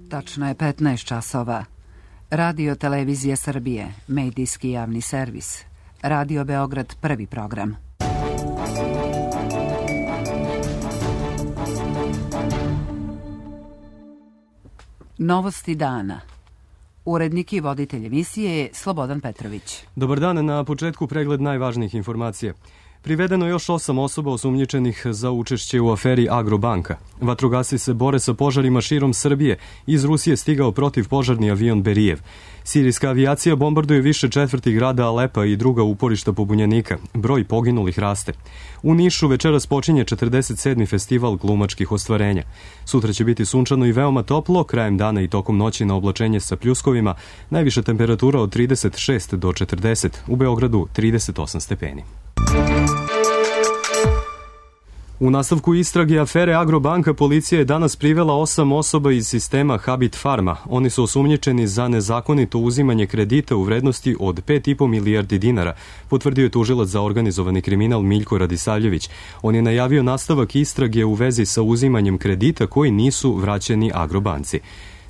Tačno je 15 časova. Radio Televizija Srbije, medijski javni servis. Radio Beograd, prvi program. Novosti dana. Urednik i voditelj emisije je Slobodan Petrović. Dobar dan, na početku pregled najvažnijih informacija. Privedeno je još 8 osoba osumnjičenih za učešće u aferi Agrobanka. Vatrogasci se bore sa požarima širom Srbije. Iz Rusije stigao protivpožarni avion Berijev. Sirijska avijacija bombarduje više četvrti grada Alepa i druga uporišta pobunjenika. Broj poginulih raste. U Nišu večeras počinje 47. festival glumačkih ostvarenja. Sutra će biti sunčano i veoma toplo, krajem dana i tokom noći na oblačenje sa pljuskovima, najviša temperatura od 36 do 40, u Beogradu 38 stepeni. U nastavku istrage afere Agrobanka policija je danas privela 8 osoba iz sistema Habit Farma. Oni su osumnjičeni za nezakonito uzimanje kredita u vrednosti od 5,5 milijardi dinara, potvrdio je tužilac za organizovani kriminal Miljko Radisavljević. On je najavio nastavak istrage u vezi sa uzimanjem kredita koji nisu vraćeni Agrobanci.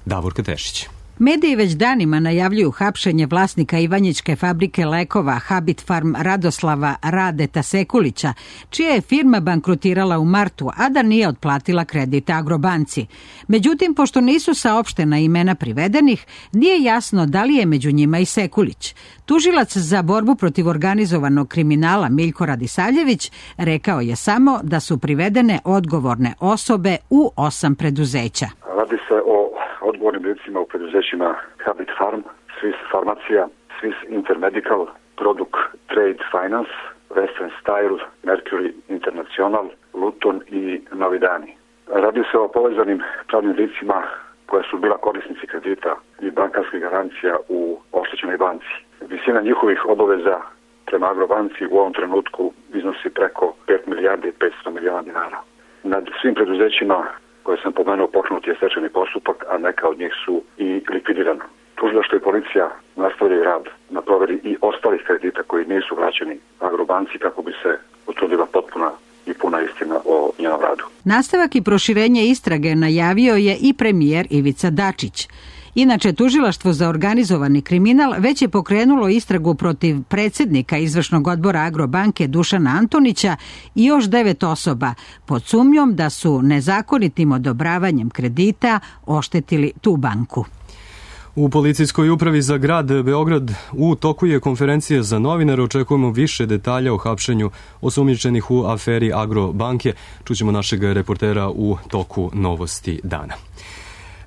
Davorka Tešić. Mediji već danima najavljuju hapšenje vlasnika Ivanjičke fabrike lekova Habit Farm Radoslava Radeta Sekulića, čija je firma bankrotirala u martu, a da nije otplatila kredit Agrobanci. Međutim, pošto nisu saopštena imena privedenih, nije jasno da li je među njima i Sekulić. Tužilac za borbu protiv organizovanog kriminala Miljko Radisavljević rekao je samo da su privedene odgovorne osobe u 8 preduzeća. Radi se o odgovornim licima u preduzećima Habit Farm, Swiss Farmacija, Swiss Intermedical, Product Trade Finance, Western Style, Mercury International, Luton i Novi Dani. Radi se o povezanim pravnim licima koja su bila korisnici kredita i bankarskih garancija u oštećenoj banci. Visina njihovih obaveza prema Agrobanci u ovom trenutku iznosi preko 5 milijardi i 500 miliona dinara. Nad svim preduzećima koje sam pomenuo pokrenut je stečajni postupak, a neka od njih su i likvidirana. Tužilaštvo i policija nastavljaju rad na proveri i ostalih kredita koji nisu vraćeni Agrobanci kako bi se utvrdila potpuna i puna istina o njenom radu. Nastavak i proširenje istrage najavio je i premijer Ivica Dačić. Inače, Tužilaštvo za organizovani kriminal već je pokrenulo istragu protiv predsjednika izvršnog odbora Agrobanke Dušana Antonića i još 9 osoba pod sumnjom da su nezakonitim odobravanjem kredita oštetili tu banku. U policijskoj upravi za grad Beograd u toku je konferencija za novinare. Očekujemo više detalja o hapšenju osumnjičenih u aferi Agrobanke. Čućemo našeg reportera u toku novosti dana.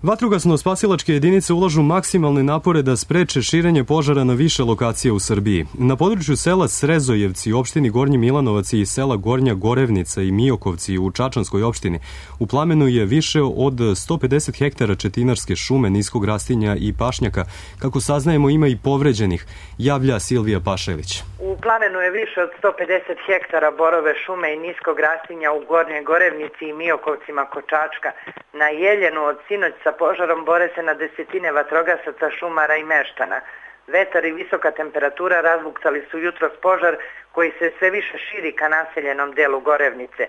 Vatrogasno-spasilačke jedinice ulažu maksimalne napore da spreče širenje požara na više lokacija u Srbiji. Na području sela Srezojevci, opštini Gornji Milanovac i sela Gornja Gorevnica i Mijokovci u Čačanskoj opštini, u plamenu je više od 150 hektara četinarske šume, niskog rastinja i pašnjaka. Kako saznajemo, ima i povređenih, javlja Silvija Pašelić. U plamenu je više od 150 hektara borove šume i niskog rastinja u Gornjoj Gorevnici i Mijokovcima kod Čačka. Na Jeljenu od sinoć sa požarom bore se na desetine vatrogasaca, šumara i meštana. Vetar i visoka temperatura razbuktali su jutros požar koji se sve više širi ka naseljenom delu Gorevnice.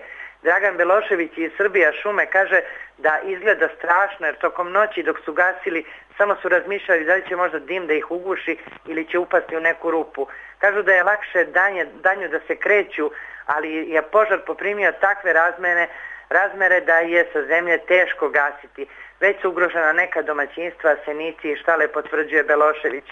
Dragan Belošević iz Srbija šume kaže da izgleda strašno jer tokom noći dok su gasili samo su razmišljali da li će možda dim da ih uguši ili će upasti u neku rupu. Kažu da je lakše danju da se kreću, ali je požar poprimio takve razmere da je sa zemlje teško gasiti. Već su ugrožena neka domaćinstva, senici i štale, potvrđuje Belošević.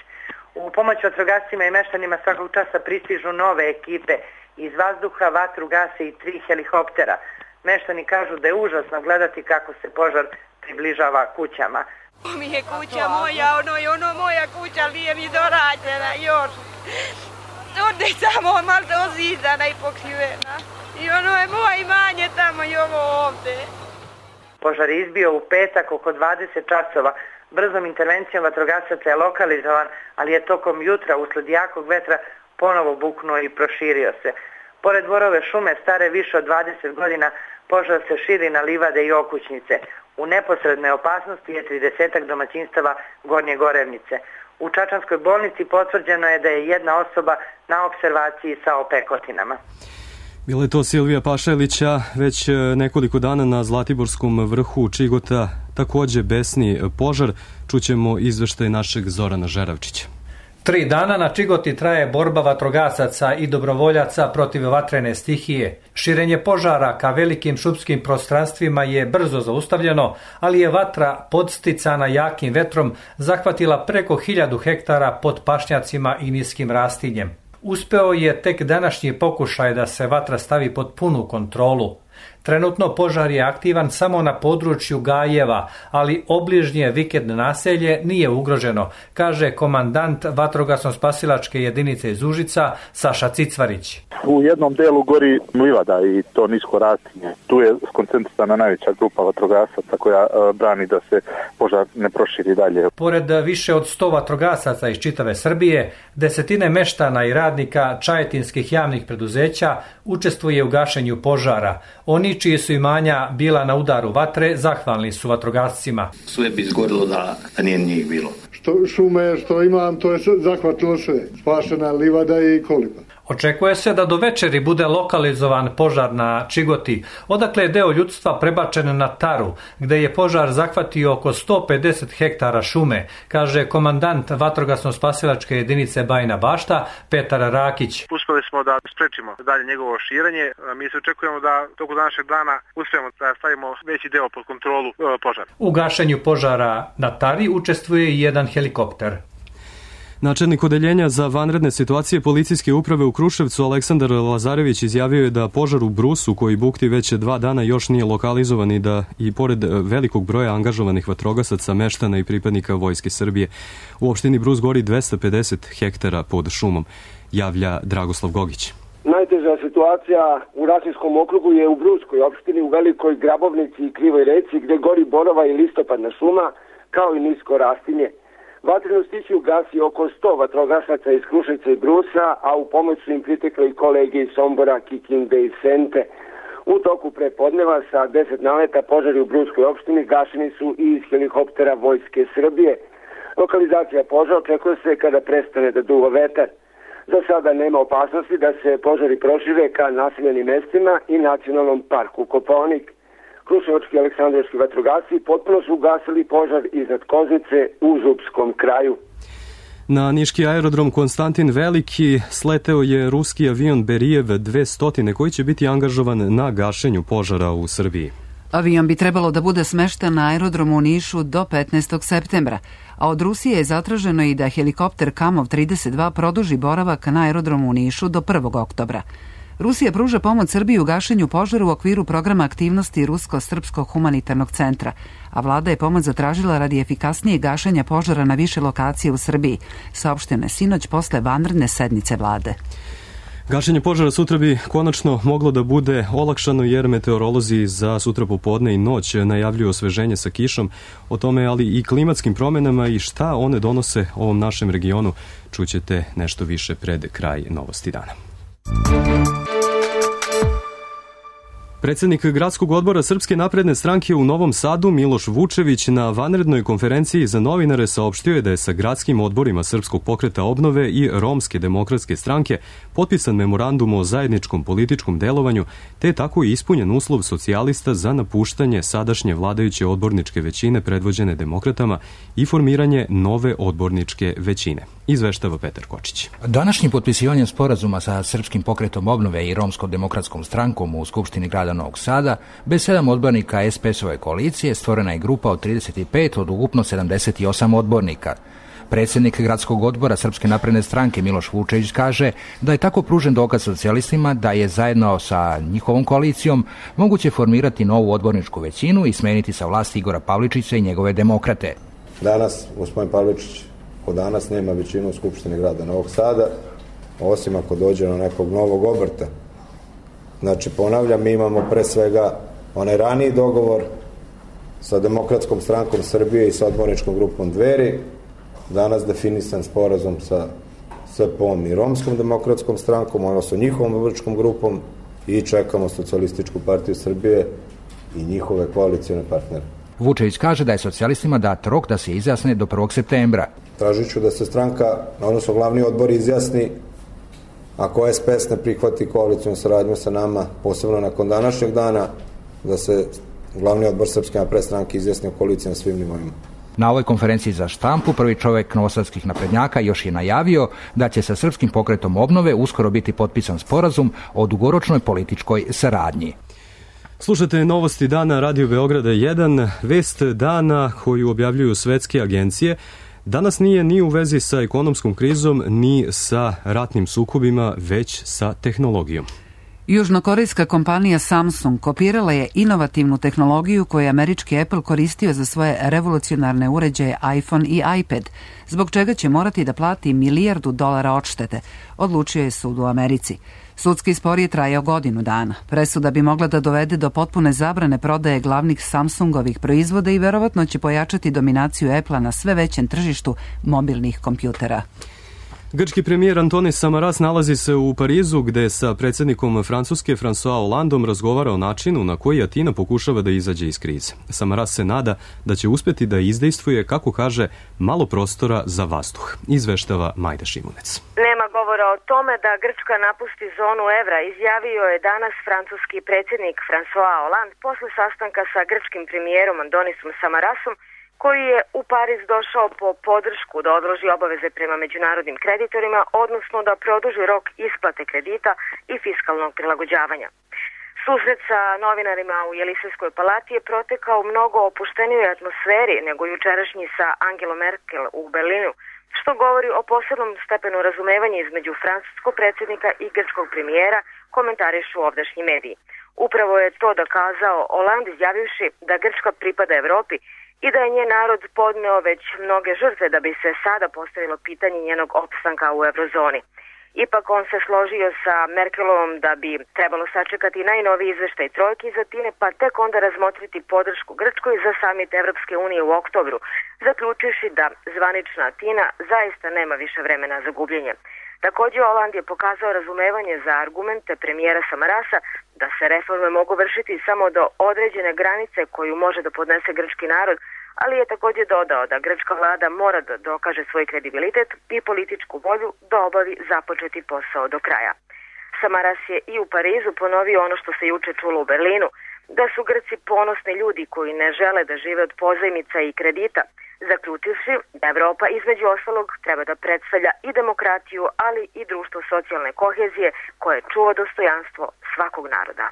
U pomoć vatrogascima i meštanima svakog časa pristižu nove ekipe. Iz vazduha vatru gase i 3 helikoptera. Meštani kažu da je užasno gledati kako se požar približava kućama. Ovo mi je kuća moja, ono moja kuća, nije mi dorađena još. Ovdje je samo malo ozidana i pokrivena. I ono je moje imanje tamo i ovo ovdje. Požar je izbio u petak oko 20 časova. Brzom intervencijom vatrogasaca je lokalizovan, ali je tokom jutra usled jakog vetra ponovo buknuo i proširio se. Pored borove šume stare više od 20 godina, požar se širi na livade i okućnice. U neposrednoj opasnosti je 30 domaćinstava Gornje Gorevnice. U Čačanskoj bolnici potvrđeno je da je jedna osoba na opservaciji sa opekotinama. Bila je to Silvija Pašelića. Već nekoliko dana na Zlatiborskom vrhu Čigota takođe besni požar. Čućemo izveštaj našeg Zorana Žeravčića. 3 dana na Čigoti traje borba vatrogasaca i dobrovoljaca protiv vatrene stihije. Širenje požara ka velikim šumskim prostranstvima je brzo zaustavljeno, ali je vatra podsticana jakim vetrom zahvatila preko 1000 hektara pod pašnjacima i niskim rastinjem. Uspeo je tek današnji pokušaj da se vatra stavi pod punu kontrolu. Trenutno požar je aktivan samo na području Gajeva, ali obližnje vikend naselje nije ugroženo, kaže komandant vatrogasno-spasilačke jedinice iz Užica Saša Cicvarić. U jednom delu gori livada i to nisko rastinje. Tu je skoncentrisana najveća grupa vatrogasaca koja brani da se požar ne proširi dalje. Pored više od 100 vatrogasaca iz čitave Srbije, desetine meštana i radnika čajetinskih javnih preduzeća učestvuje u gašenju požara. Oni čiji su imanja bila na udaru vatre, zahvalni su vatrogascima. Sve bi izgorilo da nije njih bilo. Što šume, što imam, to je zahvatilo sve. Spašena livada i koliba. Očekuje se da do večeri bude lokalizovan požar na Čigoti, odakle je deo ljudstva prebačen na Taru, gde je požar zahvatio oko 150 hektara šume, kaže komandant vatrogasno-spasilačke jedinice Bajina Bašta Petar Rakić. Uspeli smo da sprečimo dalje njegovo širenje. Mi se očekujemo da toku današnjeg dana uspijemo da stavimo veći deo pod kontrolu požara. U gašenju požara na Tari učestvuje i jedan helikopter. Načelnik odeljenja za vanredne situacije policijske uprave u Kruševcu Aleksandar Lazarević izjavio je da požar u Brusu, koji bukti već 2 dana, još nije lokalizovan i da i pored velikog broja angažovanih vatrogasaca, meštana i pripadnika Vojske Srbije, u opštini Brus gori 250 hektara pod šumom, javlja Dragoslav Gogić. Najteža situacija u Rasinskom okrugu je u Bruskoj opštini, u Velikoj Grabovnici i Krivoj reci, gde gori borova i listopadna šuma, kao i nisko rastinje. Vatrenu stihiju gasi oko 100 vatrogasaca iz Kruševca i Brusa, a u pomoć su im pritekli i kolege iz Sombora, Kikinde i Sente. U toku prepodneva sa 10 naleta požari u Bruskoj opštini gašeni su i iz helikoptera Vojske Srbije. Lokalizacija požara očekuje se kada prestane da duva vetar. Za sada nema opasnosti da se požari prošire ka naseljenim mestima i nacionalnom parku Kopaonik. Kruševački i aleksandrovski vatrogasci potpuno su ugasili požar iznad Koznice u Zupskom kraju. Na niški aerodrom Konstantin Veliki sleteo je ruski avion Berijev 200 koji će biti angažovan na gašenju požara u Srbiji. Avion bi trebalo da bude smešten na aerodromu u Nišu do 15. septembra, a od Rusije je zatraženo i da helikopter Kamov 32 produži boravak na aerodromu u Nišu do 1. oktobra. Rusija pruža pomoć Srbiji u gašenju požara u okviru programa aktivnosti Rusko-Srpskog humanitarnog centra, a vlada je pomoć zatražila radi efikasnijeg gašenja požara na više lokacije u Srbiji, saopšteno je sinoć posle vanredne sednice vlade. Gašenje požara sutra bi konačno moglo da bude olakšano jer meteorolozi za sutra popodne i noć najavljuju osveženje sa kišom, o tome ali i klimatskim promenama i šta one donose ovom našem regionu. Čućete nešto više pred kraj Novosti dana. Predsednik Gradskog odbora Srpske napredne stranke u Novom Sadu Miloš Vučević na vanrednoj konferenciji za novinare saopštio je da je sa gradskim odborima Srpskog pokreta obnove i Romske demokratske stranke potpisan memorandum o zajedničkom političkom delovanju, te je tako i ispunjen uslov socijalista za napuštanje sadašnje vladajuće odborničke većine predvođene demokratama i formiranje nove odborničke većine. Izveštava Petar Kočić. Današnjim potpisivanjem sporazuma sa Srpskim pokretom obnove i Romskom demokratskom strankom u Skupštini grada Novog Sada, bez 7 odbornika SPS-ove koalicije stvorena je grupa od 35 od ukupno 78 odbornika. Predsjednik Gradskog odbora Srpske napredne stranke Miloš Vučević kaže da je tako pružen dokaz socijalistima da je zajedno sa njihovom koalicijom moguće formirati novu odborničku većinu i smeniti sa vlasti Igora Pavličića i njegove demokrate. Danas gospodin Pavličić od danas nema većinu u Skupštini grada Novog Sada, osim ako dođe na nekog novog obrta. Znači, ponavljam, mi imamo pre svega onaj raniji dogovor sa Demokratskom strankom Srbije i sa odborničkom grupom Dveri, danas definisan sporazum sa SP-om i Romskom demokratskom strankom, odnosno njihovom odborničkom grupom i čekamo Socijalističku partiju Srbije i njihove koalicijne partnere. Vučević kaže da je socijalistima dat rok da se izjasne do 1. septembra. Tražit ću da se stranka, odnosno glavni odbor izjasni ako SPS ne prihvati koalicijnu saradnju sa nama, posebno nakon današnjeg dana, da se glavni odbor Srpske napredne stranke izjasnio koalicija na svim nivoima. Na ovoj konferenciji za štampu prvi čovjek novosadskih naprednjaka još je najavio da će sa Srpskim pokretom obnove uskoro biti potpisan sporazum o dugoročnoj političkoj saradnji. Slušate novosti dana Radio Beograda 1, vest dana koju objavljuju svetske agencije. Danas nije ni u vezi sa ekonomskom krizom, ni sa ratnim sukobima, već sa tehnologijom. Južnokorejska kompanija Samsung kopirala je inovativnu tehnologiju koju je američki Apple koristio za svoje revolucionarne uređaje iPhone i iPad, zbog čega će morati da plati $1 milijardu odštete, odlučio je sud u Americi. Sudski spor je trajao godinu dana. Presuda bi mogla da dovede do potpune zabrane prodaje glavnih Samsungovih proizvoda i verovatno će pojačati dominaciju Apple-a na sve većem tržištu mobilnih kompjutera. Grčki premijer Antonis Samaras nalazi se u Parizu gde sa predsjednikom Francuske François Hollandom razgovara o načinu na koji Atina pokušava da izađe iz krize. Samaras se nada da će uspjeti da izdejstvuje, kako kaže, malo prostora za vazduh. Izveštava Majda Šimunec. Nema govora o tome da Grčka napusti zonu evra, izjavio je danas francuski predsjednik François Hollande posle sastanka sa grčkim premijerom Antonisom Samarasom, koji je u Pariz došao po podršku da odloži obaveze prema međunarodnim kreditorima, odnosno da produži rok isplate kredita i fiskalnog prilagođavanja. Susret sa novinarima u Jelisejskoj palati je protekao u mnogo opuštenijoj atmosferi nego jučerašnji sa Angelom Merkel u Berlinu, što govori o posebnom stepenu razumevanja između francuskog predsjednika i grčkog premijera, komentarišu ovdašnji mediji. Upravo je to dokazao Hollande izjavivši da Grčka pripada Evropi i da je njen narod podneo već mnoge žrtve da bi se sada postavilo pitanje njenog opstanka u eurozoni. Ipak on se složio sa Merkelovom da bi trebalo sačekati najnoviji izveštaj trojke iz Atine, pa tek onda razmotriti podršku Grčkoj za samit Evropske unije u oktobru, zaključivši da zvanična Atina zaista nema više vremena za gubljenje. Također Hollande je pokazao razumevanje za argumente premijera Samarasa da se reforme mogu vršiti samo do određene granice koju može da podnese grčki narod, ali je također dodao da grčka vlada mora da dokaže svoj kredibilitet i političku volju da obavi započeti posao do kraja. Samaras je i u Parizu ponovio ono što se juče čulo u Berlinu, da su Grci ponosni ljudi koji ne žele da žive od pozajmica i kredita, zaključivši da Evropa između ostalog treba da predstavlja i demokratiju, ali i društvo socijalne kohezije koje čuva dostojanstvo svakog naroda.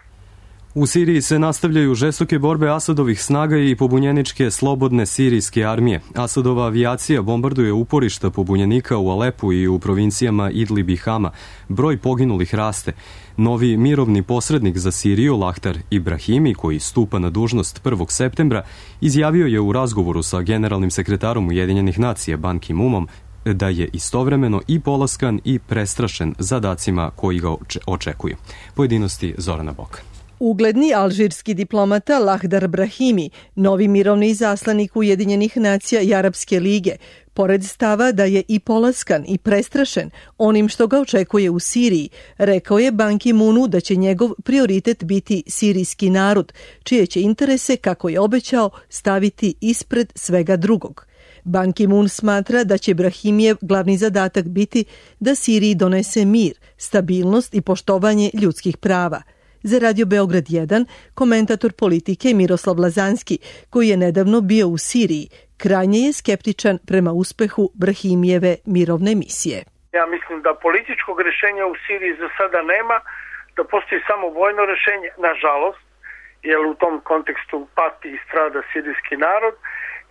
U Siriji se nastavljaju žestoke borbe Asadovih snaga i pobunjeničke slobodne sirijske armije. Asadova avijacija bombarduje uporišta pobunjenika u Alepu i u provincijama Idlib i Hama. Broj poginulih raste. Novi mirovni posrednik za Siriju, Lahtar Ibrahimi, koji stupa na dužnost 1. septembra, izjavio je u razgovoru sa generalnim sekretarom Ujedinjenih nacija Ban Ki-moonom da je istovremeno i polaskan i prestrašen zadacima koji ga očekuju. Pojedinosti Zorana Boka. Ugledni alžirski diplomata Lahdar Brahimi, novi mirovni izaslanik Ujedinjenih nacija i Arapske lige, pored stava da je i polaskan i prestrašen onim što ga očekuje u Siriji, rekao je Ban Ki-moonu da će njegov prioritet biti sirijski narod, čije će interese, kako je obećao, staviti ispred svega drugog. Ban Ki-moon smatra da će Brahimijev glavni zadatak biti da Siriji donese mir, stabilnost i poštovanje ljudskih prava. Za Radio Beograd 1, komentator politike Miroslav Lazanski, koji je nedavno bio u Siriji, krajnje je skeptičan prema uspehu Brahimijeve mirovne misije. Ja mislim da političkog rješenja u Siriji za sada nema, da postoji samo vojno rješenje, nažalost, jer u tom kontekstu pati i strada sirijski narod.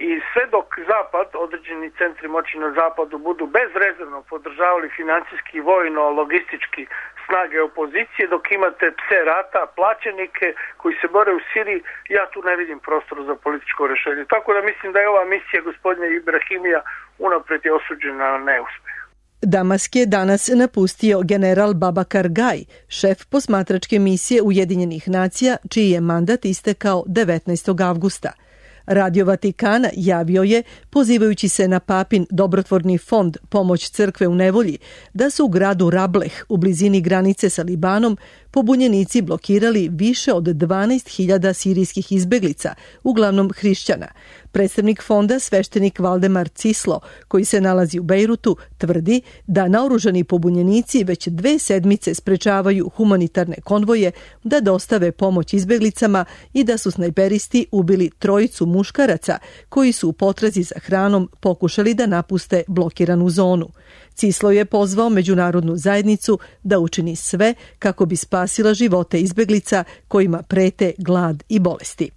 I sve dok Zapad, određeni centri moći na Zapadu budu bezrezervno podržavali financijski, vojno, logistički snage opozicije, dok imate pse rata, plaćenike koji se bore u Siriji, ja tu ne vidim prostor za političko rješenje. Tako da mislim da je ova misija gospodina Ibrahimija unaprijed je osuđena na neuspjeh. Damask je danas napustio general Babakar Gaj, šef posmatračke misije Ujedinjenih nacija, čiji je mandat istekao 19. avgusta. Radio Vatikana javio je, pozivajući se na papin dobrotvorni fond Pomoć crkve u nevolji, da su u gradu Rableh, u blizini granice sa Libanom, pobunjenici blokirali više od 12.000 sirijskih izbeglica, uglavnom hrišćana. Predstavnik fonda, sveštenik Valdemar Cislo, koji se nalazi u Bejrutu, tvrdi da naoružani pobunjenici već 2 sedmice sprečavaju humanitarne konvoje da dostave pomoć izbeglicama i da su snajperisti ubili 3 muškaraca koji su u potrazi za hranom pokušali da napuste blokiranu zonu. Cislo je pozvao međunarodnu zajednicu da učini sve kako bi spasila živote izbeglica kojima prete glad i bolesti.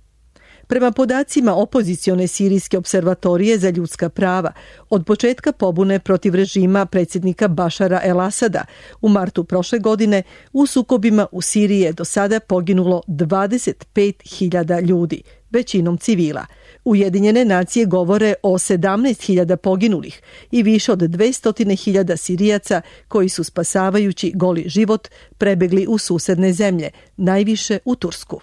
Prema podacima opozicione sirijske observatorije za ljudska prava, od početka pobune protiv režima predsjednika Bašara el-Asada u martu prošle godine u sukobima u Siriji je do sada poginulo 25.000 ljudi, većinom civila. Ujedinjene nacije govore o 17.000 poginulih i više od 200.000 Sirijaca koji su spasavajući goli život prebegli u susedne zemlje, najviše u Tursku.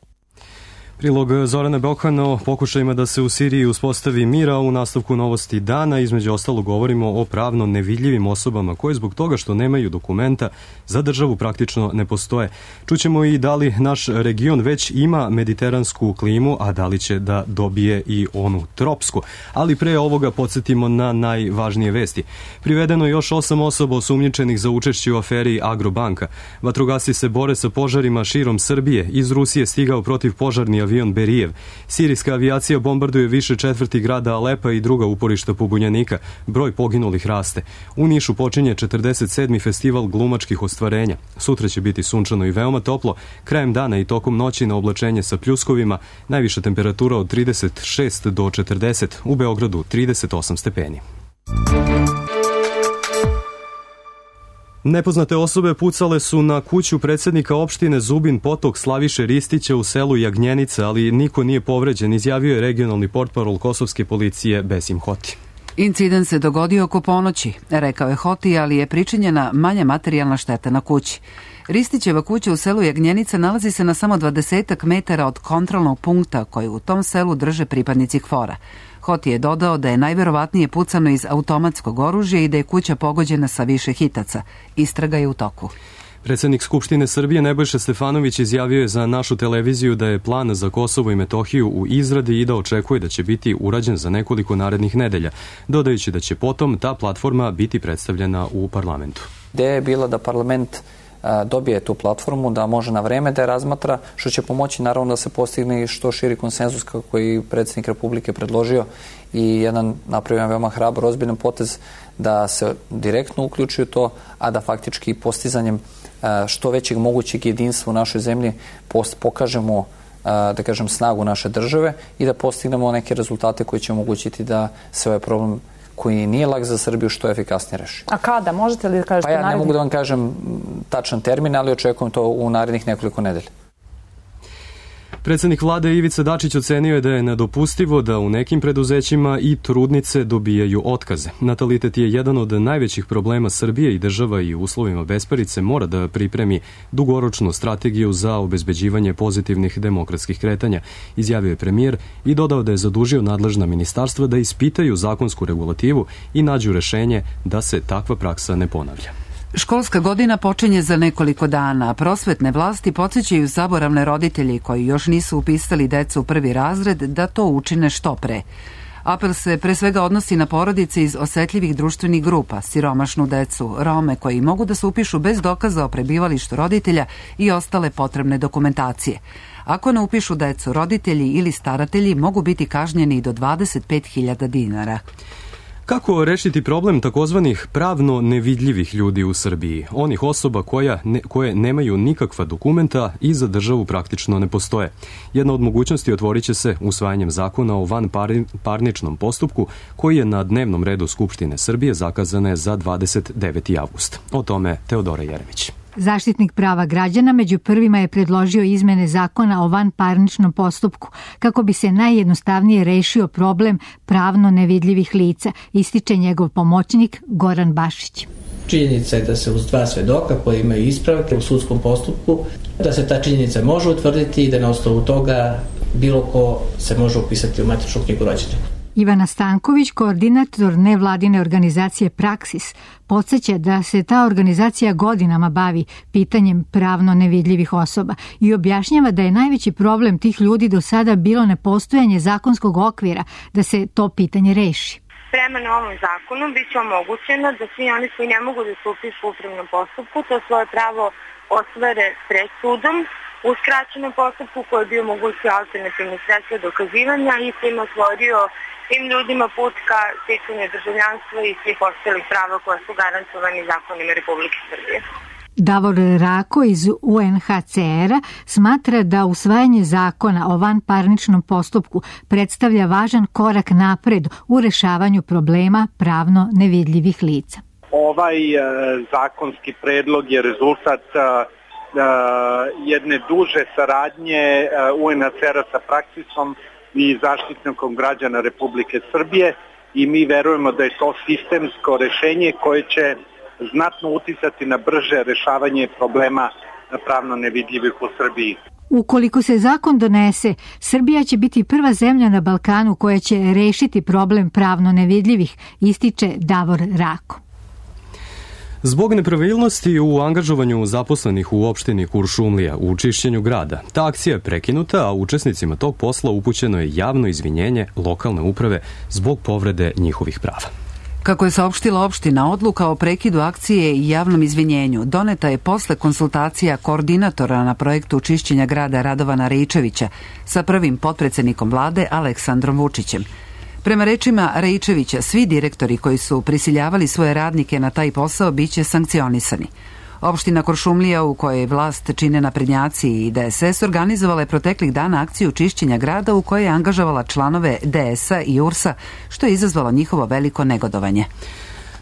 Prilog Zorana Bokana o pokušajima da se u Siriji uspostavi mira. U nastavku novosti dana između ostalo govorimo o pravno nevidljivim osobama koje zbog toga što nemaju dokumenta za državu praktično ne postoje. Čućemo i da li naš region već ima mediteransku klimu, a da li će da dobije i onu tropsku. Ali pre ovoga podsjetimo na najvažnije vesti. Privedeno je još 8 osoba osumnjičenih za učešće u aferi Agrobanka. Vatrogasci se bore sa požarima širom Srbije. Iz Rusije stigao protiv požarni avion Berijev. Sirijska avijacija bombarduje više četvrti grada Alepa i druga uporišta pobunjenika. Broj poginulih raste. U Nišu počinje 47. festival glumačkih ostvarenja. Sutra će biti sunčano i veoma toplo. Krajem dana i tokom noći na oblačenje sa pljuskovima. Najviša temperatura od 36 do 40. U Beogradu 38 stepeni. Nepoznate osobe pucale su na kuću predsjednika opštine Zubin Potok Slaviše Ristića u selu Jagnjenica, ali niko nije povređen, izjavio je regionalni portparol kosovske policije Besim Hoti. Incident se dogodio oko ponoći, rekao je Hoti, ali je pričinjena manja materijalna šteta na kući. Ristićeva kuća u selu Jagnjenica nalazi se na samo 20 metara od kontrolnog punkta koji u tom selu drže pripadnici KFOR-a. Hoti je dodao da je najverovatnije pucano iz automatskog oružja i da je kuća pogođena sa više hitaca. Istraga je u toku. Predsjednik Skupštine Srbije Nebojša Stefanović izjavio je za našu televiziju da je plan za Kosovo i Metohiju u izradi i da očekuje da će biti urađen za nekoliko narednih nedelja, dodajući da će potom ta platforma biti predstavljena u parlamentu. Ideja je bila da parlament dobije tu platformu, da može na vreme da je razmatra, što će pomoći naravno da se postigne što širi konsenzus kako je predsjednik Republike predložio i jedan napravio veoma hrabar, ozbiljan potez da se direktno uključuju to, a da faktički postizanjem što većeg mogućeg jedinstva u našoj zemlji pokažemo da kažem snagu naše države i da postignemo neke rezultate koji će omogućiti da se ovaj problem koji nije lak za Srbiju što efikasnije reši. A kada? Možete li da kažete narednih? Pa ja ne mogu da vam kažem tačan termin, ali očekujem to u narednih nekoliko nedelja. Predsjednik vlade Ivica Dačić ocenio je da je nedopustivo da u nekim preduzećima i trudnice dobijaju otkaze. Natalitet je jedan od najvećih problema Srbije i država i u uslovima besparice mora da pripremi dugoročnu strategiju za obezbeđivanje pozitivnih demokratskih kretanja, izjavio je premijer i dodao da je zadužio nadležna ministarstva da ispitaju zakonsku regulativu i nađu rešenje da se takva praksa ne ponavlja. Školska godina počinje za nekoliko dana. Prosvetne vlasti podsjećaju zaboravne roditelji koji još nisu upisali decu u prvi razred da to učine što pre. Apel se pre svega odnosi na porodice iz osetljivih društvenih grupa, siromašnu decu, Rome koji mogu da se upišu bez dokaza o prebivalištu roditelja i ostale potrebne dokumentacije. Ako ne upišu decu, roditelji ili staratelji mogu biti kažnjeni do 25.000 dinara. Kako rešiti problem takozvanih pravno nevidljivih ljudi u Srbiji? Onih osoba koje nemaju nikakva dokumenta i za državu praktično ne postoje. Jedna od mogućnosti otvorit će se usvajanjem zakona o vanparničnom postupku koji je na dnevnom redu Skupštine Srbije zakazane za 29. avgust. O tome Teodora Jeremić. Zaštitnik prava građana među prvima je predložio izmene zakona o vanparničnom postupku kako bi se najjednostavnije rešio problem pravno nevidljivih lica, ističe njegov pomoćnik Goran Bašić. Činjenica je da se uz 2 svedoka koji imaju ispravke u sudskom postupku, da se ta činjenica može utvrditi i da na osnovu toga bilo ko se može upisati u matičnu knjigu rođenih. Ivana Stanković, koordinator nevladine organizacije Praksis, podsjeća da se ta organizacija godinama bavi pitanjem pravno nevidljivih osoba i objašnjava da je najveći problem tih ljudi do sada bilo nepostojanje zakonskog okvira da se to pitanje reši. Prema novom zakonu biće omogućeno da svi oni koji ne mogu da se upišu u upravnom postupku to svoje pravo ostvare pred sudom u skraćenom postupku koji bi omogućio alternativne sredstva dokazivanja i tim otvorio tim ljudima put ka sticanju državljanstva i svih ostalih prava koja su garantovani zakonima Republike Srbije. Davor Rako iz UNHCR-a smatra da usvajanje zakona o vanparničnom postupku predstavlja važan korak napred u rešavanju problema pravno nevidljivih lica. Ovaj zakonski predlog je rezultat jedne duže saradnje UNHCR-a sa Praksisom i Zaštitnikom građana Republike Srbije i mi verujemo da je to sistemsko rešenje koje će znatno uticati na brže rešavanje problema pravno nevidljivih u Srbiji. Ukoliko se zakon donese, Srbija će biti prva zemlja na Balkanu koja će rešiti problem pravno nevidljivih, ističe Davor Rako. Zbog nepravilnosti u angažovanju zaposlenih u opštini Kuršumlija u čišćenju grada, ta akcija je prekinuta, a učesnicima tog posla upućeno je javno izvinjenje lokalne uprave zbog povrede njihovih prava. Kako je saopštila opština, odluka o prekidu akcije i javnom izvinjenju doneta je posle konsultacija koordinatora na projektu čišćenja grada Radovana Rejčevića sa prvim potpredsednikom vlade Aleksandrom Vučićem. Prema rečima Rejčevića, svi direktori koji su prisiljavali svoje radnike na taj posao biće sankcionisani. Opština Kuršumlija, u kojoj vlast čine naprednjaci i DSS, organizovala je proteklih dana akciju čišćenja grada u kojoj je angažovala članove DS-a i URS-a, što je izazvalo njihovo veliko negodovanje.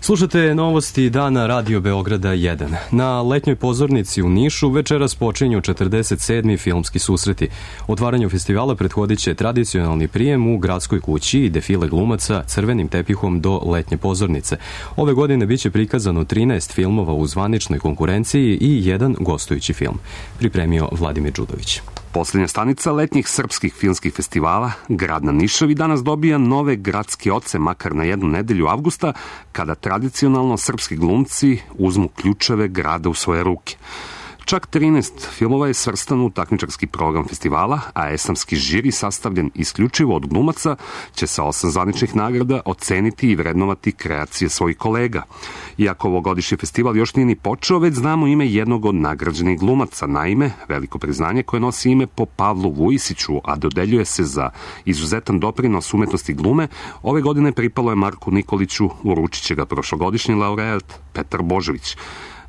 Slušate novosti dana Radio Beograda 1. Na letnjoj pozornici u Nišu večeras počinju 47. filmski susreti. Otvaranju festivala prethodit će tradicionalni prijem u gradskoj kući i defile glumaca crvenim tepihom do letnje pozornice. Ove godine biće prikazano 13 filmova u zvaničnoj konkurenciji i jedan gostujući film. Pripremio Vladimir Đudović. Posljednja stanica letnjih srpskih filmskih festivala, grad na Nišavi, danas dobija nove gradske oce, makar na jednu nedelju avgusta, kada tradicionalno srpski glumci uzmu ključeve grada u svoje ruke. Čak 13 filmova je svrstano u takmičarski program festivala, a esamski žiri sastavljen isključivo od glumaca će sa 8 zvaničnih nagrada oceniti i vrednovati kreacije svojih kolega. Iako ovogodišnji festival još nije ni počeo, već znamo ime jednog od nagrađenih glumaca. Naime, veliko priznanje koje nosi ime po Pavlu Vujisiću, a dodeljuje se za izuzetan doprinos umetnosti glume, ove godine pripalo je Marku Nikoliću, uručit će ga prošlogodišnji laureat Petar Božović.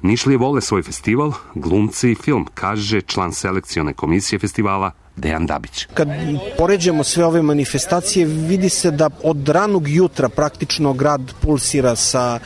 Nišlije vole svoj festival, glumci i film, kaže član selekcione komisije festivala Dejan Dabić. Kad poređamo sve ove manifestacije, vidi se da od ranog jutra praktično grad pulsira sa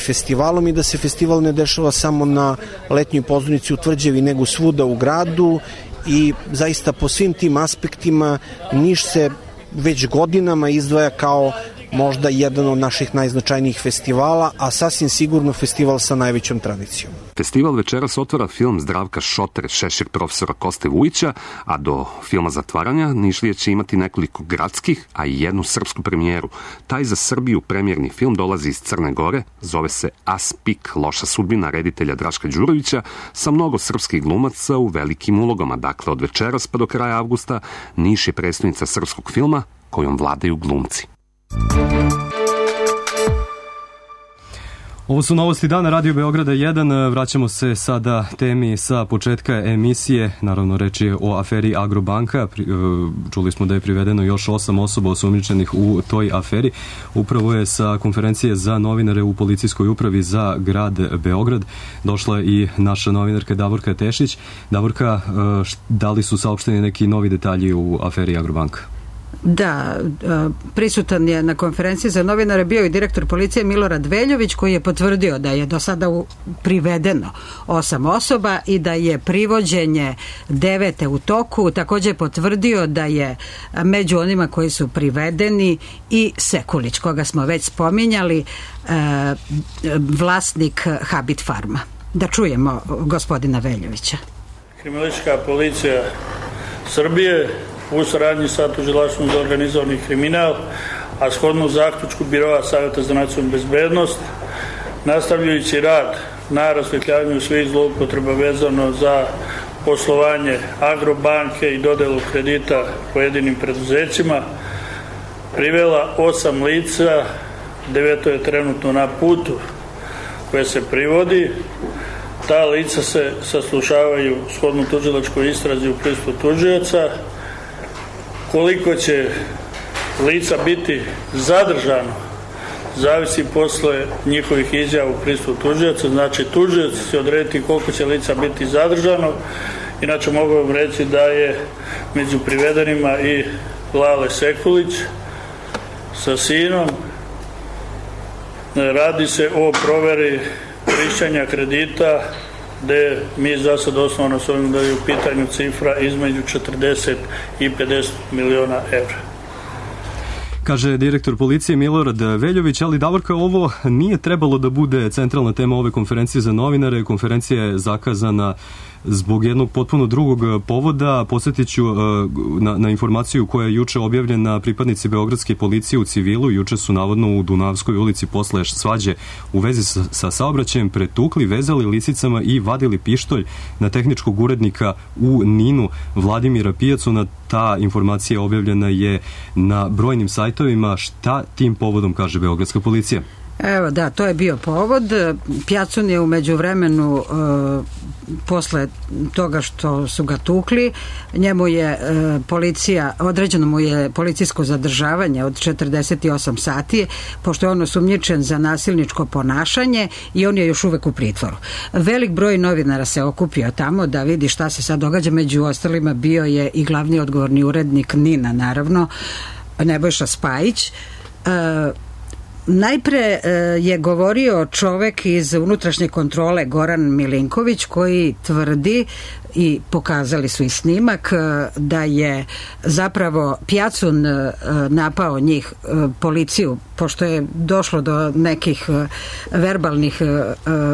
festivalom i da se festival ne dešava samo na letnjoj pozornici u Tvrđevi, nego svuda u gradu i zaista po svim tim aspektima Niš se već godinama izdvaja kao možda jedan od naših najznačajnijih festivala, a sasvim sigurno festival sa najvećom tradicijom. Festival večeras otvara film Zdravka Šotre, Šešir profesora Koste Vujića, a do filma zatvaranja Nišlije će imati nekoliko gradskih, a i jednu srpsku premijeru. Taj za Srbiju premijerni film dolazi iz Crne Gore, zove se Aspik, loša sudbina reditelja Draška Đurovića, sa mnogo srpskih glumaca u velikim ulogama. Dakle, od večeras pa do kraja avgusta Niš je predstavnica srpskog filma kojom vladaju glumci. Ovo su novosti dana Radio Beograda 1. Vraćamo se sada temi sa početka emisije. Naravno, reč je o aferi Agrobanka. Čuli smo da je privedeno još 8 osoba osumnjičenih u toj aferi. Upravo je sa konferencije za novinare u policijskoj upravi za grad Beograd došla i naša novinarka Davorka Tešić. Davorka, da li su saopšteni neki novi detalji u aferi Agrobanka? Da, prisutan je na konferenciji za novinare bio i direktor policije Milorad Veljović, koji je potvrdio da je do sada privedeno 8 osoba i da je privođenje 9 u toku. Također je potvrdio da je među onima koji su privedeni i Sekulić, koga smo već spominjali, vlasnik Habit Farma. Da čujemo gospodina Veljovića. Kriminalistička policija Srbije u saradnji sa Tužilaštvom za organizovani kriminal a shodno zaključku Biroa Savjeta za nacionalnu bezbednost, nastavljajući rad na rasvetljavanju svih zloupotreba vezano za poslovanje Agrobanke i dodelu kredita pojedinim preduzećima, privela 8 lica, 9 je trenutno na putu koje se privodi. Ta lica se saslušavaju shodno tužilačkoj istrazi u prisustvu tužioca. Koliko će lica biti zadržano zavisi posle njihovih izjava u prisustvu tužioca. Znači, tužioc će odrediti koliko će lica biti zadržano. Inače, mogu vam reći da je među privedenima i Lale Sekulić sa sinom. Radi se o proveri korišćenja kredita, gde mi za sad osnovno sumnjamo da je u pitanju cifra između 40 i 50 miliona evra. Kaže direktor policije Milorad Veljović, ali Davorka, ovo nije trebalo da bude centralna tema ove konferencije za novinare. Konferencija je zakazana zbog jednog potpuno drugog povoda. Podsjetit ću na informaciju koja je juče objavljena. Pripadnici beogradske policije u civilu juče su navodno u Dunavskoj ulici posle svađe u vezi sa saobraćajem pretukli, vezali lisicama i vadili pištolj na tehničkog urednika u Ninu Vladimira Pijacuna. Ta informacija objavljena je na brojnim sajtovima. Šta tim povodom kaže beogradska policija? Evo da, to je bio povod. Pjacun je u međuvremenu posle toga što su ga tukli, njemu je policija, određeno mu je policijsko zadržavanje od 48 sati, pošto je on osumnjičen za nasilničko ponašanje i on je još uvek u pritvoru. Velik broj novinara se okupio tamo da vidi šta se sad događa, među ostalima bio je i glavni odgovorni urednik Nina, naravno, Nebojša Spajić. Najpre je govorio čovek iz unutrašnje kontrole Goran Milinković, koji tvrdi, i pokazali su i snimak, da je zapravo Pjacun napao njih, policiju, pošto je došlo do nekih verbalnih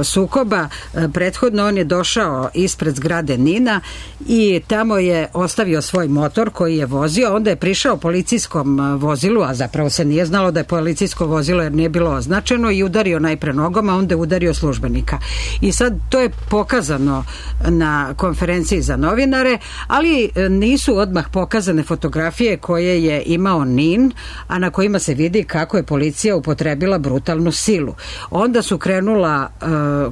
sukoba. Prethodno on je došao ispred zgrade Nina i tamo je ostavio svoj motor koji je vozio, onda je prišao policijskom vozilu, a zapravo se nije znalo da je policijsko vozilo jer nije bilo označeno, i udario najpre nogom, a onda je udario službenika. I sad to je pokazano na konferenciji za novinare, ali nisu odmah pokazane fotografije koje je imao Nin, a na kojima se vidi kako je policija upotrebila brutalnu silu. Onda su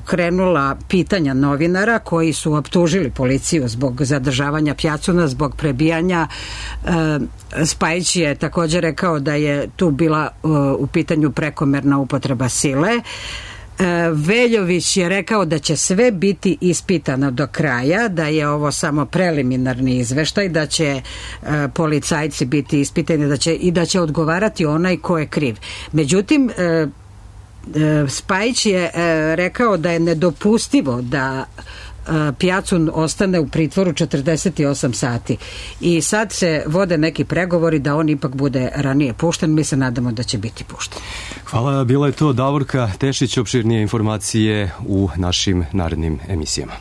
krenula pitanja novinara koji su optužili policiju zbog zadržavanja Pjacuna, zbog prebijanja. Spajić je također rekao da je tu bila u pitanju prekomerna upotreba sile. Veljović je rekao da će sve biti ispitano do kraja, da je ovo samo preliminarni izveštaj, da će policajci biti ispitani da će odgovarati onaj ko je kriv. Međutim, Spajić je rekao da je nedopustivo da Pjacun ostane u pritvoru 48 sati. I sad se vode neki pregovori da on ipak bude ranije pušten. Mi se nadamo da će biti pušten. Hvala, bila je to Davorka Tešić. Opširnije informacije u našim narednim emisijama.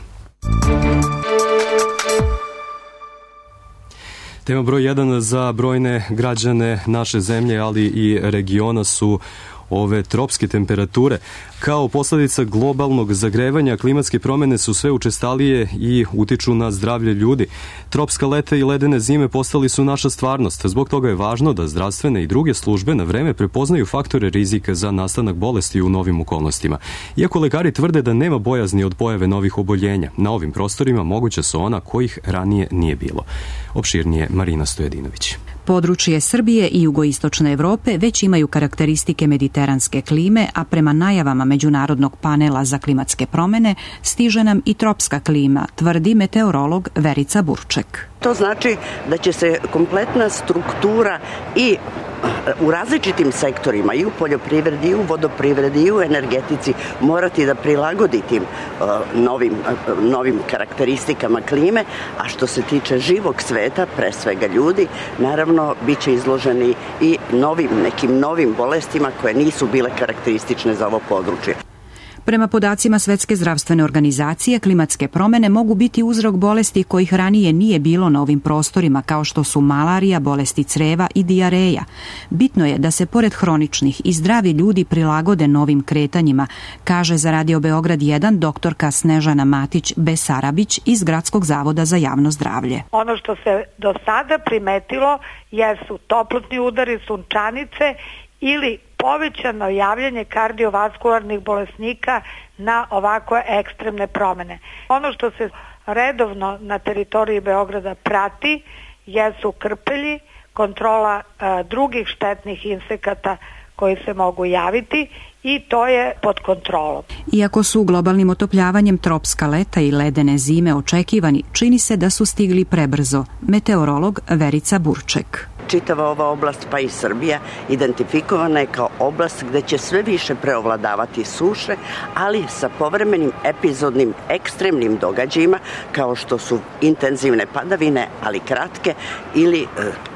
Tema broj 1 za brojne građane naše zemlje, ali i regiona, su ove tropske temperature. Kao posledica globalnog zagrevanja, klimatske promene su sve učestalije i utiču na zdravlje ljudi. Tropska leta i ledene zime postali su naša stvarnost. Zbog toga je važno da zdravstvene i druge službe na vreme prepoznaju faktore rizika za nastanak bolesti u novim okolnostima. Iako lekari tvrde da nema bojazni od pojave novih oboljenja, na ovim prostorima moguća su ona kojih ranije nije bilo. Opširnije Marina Stojedinović. Područje Srbije i jugoistočne Evrope već imaju karakteristike mediteranske klime, a prema najavama Međunarodnog panela za klimatske promene stiže nam i tropska klima, tvrdi meteorolog Verica Burček. To znači da će se kompletna struktura i u različitim sektorima, i u poljoprivredi, i u vodoprivredi, i u energetici, morati da prilagodi tim novim karakteristikama klime, a što se tiče živog sveta, pre svega ljudi, naravno bit će izloženi i nekim novim bolestima koje nisu bile karakteristične za ovo područje. Prema podacima Svetske zdravstvene organizacije, klimatske promene mogu biti uzrok bolesti kojih ranije nije bilo na ovim prostorima, kao što su malarija, bolesti creva i dijareja. Bitno je da se pored hroničnih i zdravi ljudi prilagode novim kretanjima, kaže za Radio Beograd 1 doktorka Snežana Matić-Besarabić iz Gradskog zavoda za javno zdravlje. Ono što se do sada primetilo jesu toplotni udari, sunčanice ili povećano javljanje kardiovaskularnih bolesnika na ovakve ekstremne promene. Ono što se redovno na teritoriji Beograda prati jesu krpelji, kontrola drugih štetnih insekata koji se mogu javiti i to je pod kontrolom. Iako su globalnim otopljavanjem tropska leta i ledene zime očekivani, čini se da su stigli prebrzo. Meteorolog Verica Burček. Čitava ova oblast, pa i Srbija, identifikovana je kao oblast gde će sve više preovladavati suše, ali sa povremenim epizodnim ekstremnim događajima, kao što su intenzivne padavine, ali kratke, ili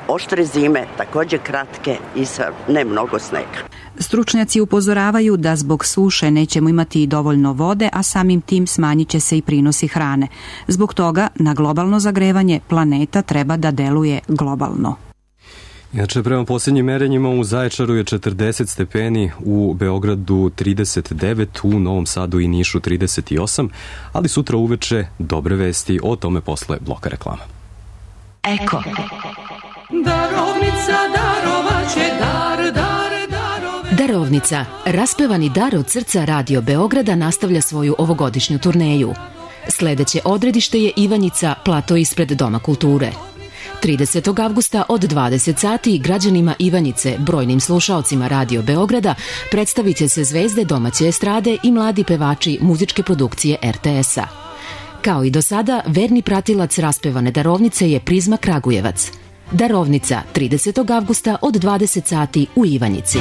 oštre zime, takođe kratke i sa ne mnogo snega. Stručnjaci upozoravaju da zbog suše nećemo imati i dovoljno vode, a samim tim smanjit će se i prinosi hrane. Zbog toga na globalno zagrevanje planeta treba da deluje globalno. Inače, prema posljednjim merenjima u Zaječaru je 40 stepeni, u Beogradu 39, u Novom Sadu i Nišu 38, ali sutra uveče dobre vesti, o tome posle bloka reklama. Eko. Darovnica darovaće Darovnica, raspevani dar od srca Radio Beograda nastavlja svoju ovogodišnju turneju. Sledeće odredište je Ivanjica, plato ispred Doma kulture. 30. avgusta od 20 sati građanima Ivanjice, brojnim slušaocima Radio Beograda, predstavit će se zvezde domaće estrade i mladi pevači muzičke produkcije RTS-a. Kao i do sada, verni pratilac raspevane Darovnice je Prizma Kragujevac. Darovnica, 30. avgusta od 20 sati u Ivanjici.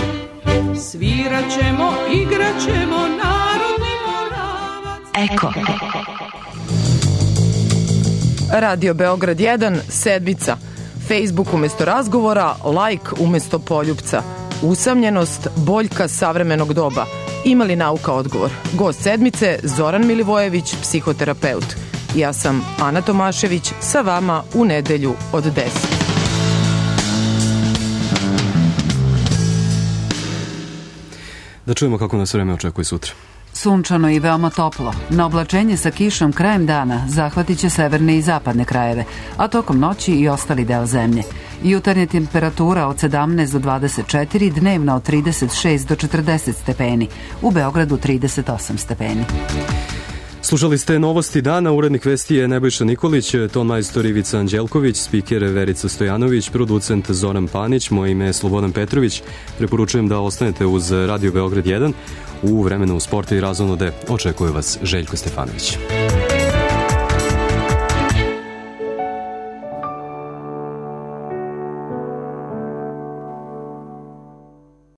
Sviraćemo, igraćemo, narodni moravac. Eko. Radio Beograd 1, sedmica. Facebook umesto razgovora, like umesto poljupca. Usamljenost, boljka savremenog doba. Ima li nauka odgovor? Gost sedmice, Zoran Milivojević, psihoterapeut. Ja sam Ana Tomašević, sa vama u nedelju od 10. Da čujemo kako nas vreme očekuje sutra. Sunčano i veoma toplo. Na oblačenje sa kišom krajem dana zahvatit će severne i zapadne krajeve, a tokom noći i ostali deo zemlje. Jutarnja temperatura od 17 do 24, dnevna od 36 do 40 stepeni. U Beogradu 38 stepeni. Slušali ste novosti dana, urednik vesti je Nebojša Nikolić, ton majstor Ivica Anđelković, spiker Verica Stojanović, producent Zoran Panić, moje ime je Slobodan Petrović. Preporučujem da ostanete uz Radio Beograd 1. U vremenu sporta i razonode očekuje vas Željko Stefanović.